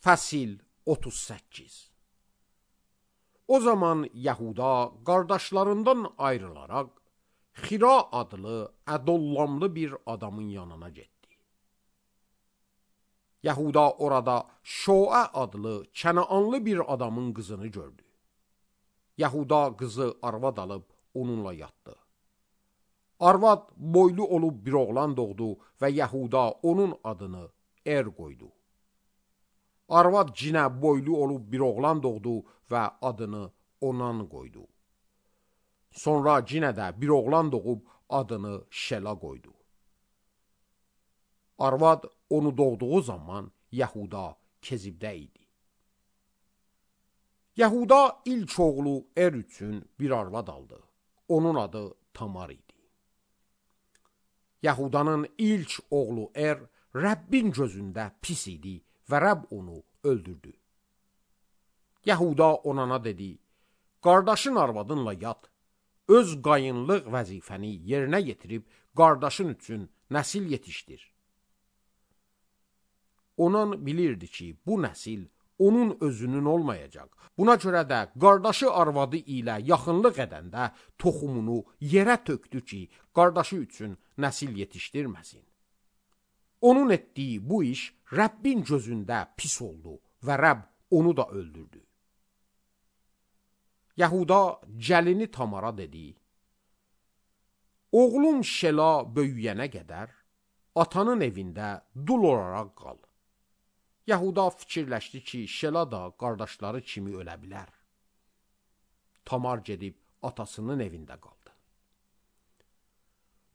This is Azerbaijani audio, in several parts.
Fəsil 38. O zaman Yahuda qardaşlarından ayrılaraq Xira adlı ədollamlı bir adamın yanına getdi. Yahuda orada Şoə adlı Kənaanlı bir adamın qızını gördü. Yahuda qızı arvad alıb onunla yatdı. Arvad boylu olub bir oğlan doğdu və Yahuda onun adını qoydu. Arvad cinə boylu olub bir oğlan doğdu və adını Onan qoydu. Sonra cinə də bir oğlan doğub adını Şela qoydu. Arvad onu doğduğu zaman Yahuda Kezibdə idi. Yahuda ilk oğlu üçün bir arvad aldı. Onun adı Tamar idi. Yahudanın ilk oğlu Rəbbin gözündə pis idi və Rəbb onu öldürdü. Yahuda Onana dedi, qardaşın arvadınla yat, öz qayınlıq vəzifəni yerinə yetirib qardaşın üçün nəsil yetişdir. Onan bilirdi ki, bu nəsil onun özünün olmayacaq. Buna görə də qardaşı arvadı ilə yaxınlıq edəndə toxumunu yerə tökdü ki, qardaşı üçün nəsil yetişdirməsin. Onun etdiyi bu iş Rəbbin gözündə pis oldu və Rəbb onu da öldürdü. Yahuda gəlini Tamara dedi, oğlum Şela böyüyənə qədər atanın evində dul olaraq qal. Yahuda fikirləşdi ki, Şela da qardaşları kimi ölə bilər. Tamar gedib atasının evində qaldı.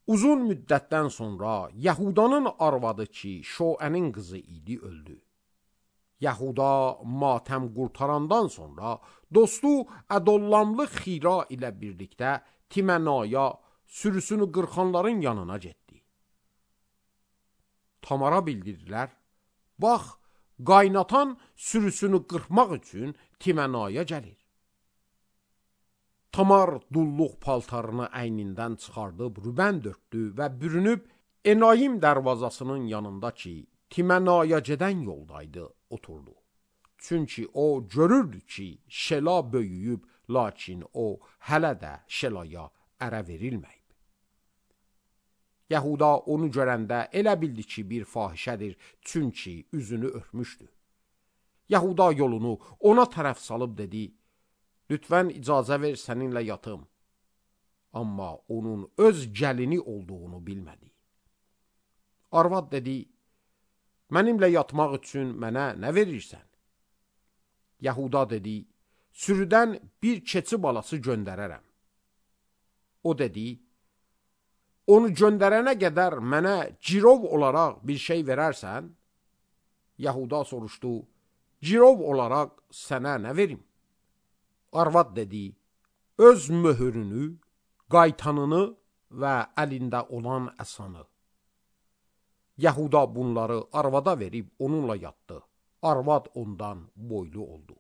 Uzun müddətdən sonra Yahudanın arvadı ki, Şoənin qızı idi, öldü. Yahuda matəm qurtarandan sonra dostu ədollamlı Xira ilə birlikdə Timənaya sürüsünü qırxanların yanına getdi. Tamara bildirdilər, bax, qaynatan sürüsünü qırxmaq üçün Timənaya gəlir. Tamar dulluq paltarını əynindən çıxardıb rübən dörtdü və bürünüb Enayim dərvazasının yanında ki, Timənaya gedən yoldaydı, oturdu. Çünki o görürdü ki, Şela böyüyüb, lakin o hələ də Şelaya ərə verilməyib. Yahuda onu görəndə elə bildi ki, bir fahişədir, çünki üzünü örtmüşdü. Yahuda yolunu ona tərəf salıb dedi, lütfən icazə ver səninlə yatım. Amma onun öz gəlini olduğunu bilmədi. Arvad dedi, mənimlə yatmaq üçün mənə nə verirsən? Yahuda dedi, sürüdən bir keçi balası göndərərəm. O dedi, onu göndərənə qədər mənə cirov olaraq bir şey verərsən? Yahuda soruşdu, cirov olaraq sənə nə verim? Arvad dedi, öz möhürünü, qaytanını və əlində olan əsanı. Yahuda bunları arvada verib onunla yatdı. Arvad ondan boylu oldu.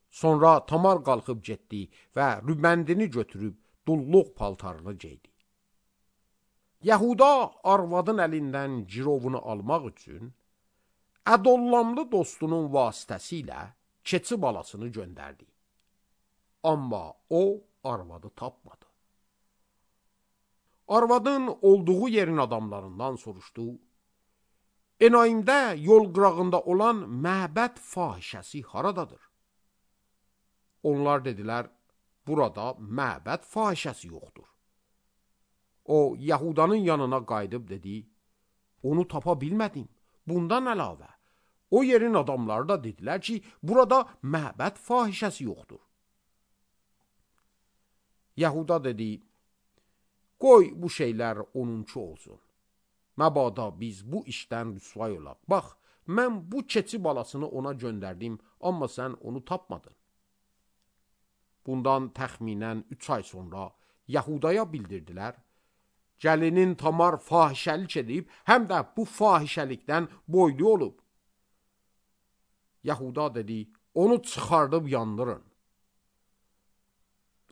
Sonra Tamar qalxıb getdi və rübəndini götürüb dulluq paltarını geydi. Yahuda arvadın əlindən cirovunu almaq üçün ədollamlı dostunun vasitəsilə keçi balasını göndərdi. Amma o arvadı tapmadı. Arvadın olduğu yerin adamlarından soruşdu, Enayimdə yol qırağında olan məbəd fahişəsi haradadır? Onlar dedilər, burada məbəd fahişəsi yoxdur. O, Yahudanın yanına qayıdıb dedi, onu tapa bilmədim. Bundan əlavə, o yerin adamları da dedilər ki, burada məbəd fahişəsi yoxdur. Yahuda dedi, qoy bu şeylər onunki olsun. Məbada biz bu işdən rüsvay olaq. Bax, mən bu keçi balasını ona göndərdim, amma sən onu tapmadın. Bundan təxminən 3 ay sonra Yahudaya bildirdilər, gəlinin Tamar fahişəlik edib, həm də bu fahişəlikdən boylu olub. Yahuda dedi, onu çıxardıb yandırın.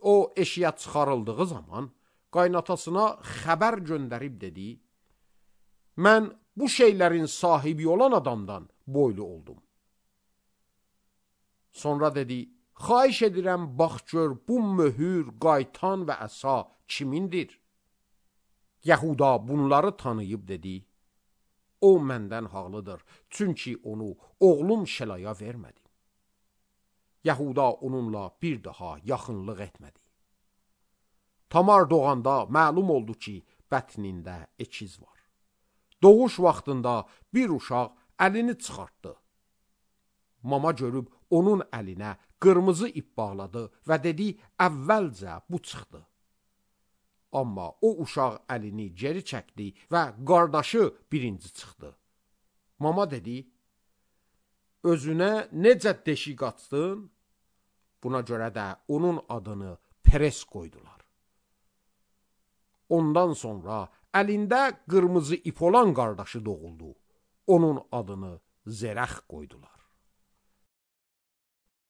O eşiyə çıxarıldığı zaman qaynatasına xəbər göndərib dedi, mən bu şeylərin sahibi olan adamdan boylu oldum. Sonra dedi, xahiş edirəm, bax gör, bu möhür, qaytan və əsa kimindir? Yəhuda bunları tanıyıb dedi, o məndən haqlıdır, çünki onu oğlum Şelaya vermədim. Yəhuda onunla bir daha yaxınlıq etmədi. Tamar doğanda məlum oldu ki, bətnində ekiz var. Doğuş vaxtında bir uşaq əlini çıxartdı. Mama görüb onun əlinə qırmızı ip bağladı və dedi, əvvəlcə bu çıxdı. Amma o uşaq əlini geri çəkdi və qardaşı birinci çıxdı. Mama dedi, özünə necə deşik açdın? Buna görə də onun adını Peres qoydular. Ondan sonra əlində qırmızı ip olan qardaşı doğuldu. Onun adını Zerəx qoydular.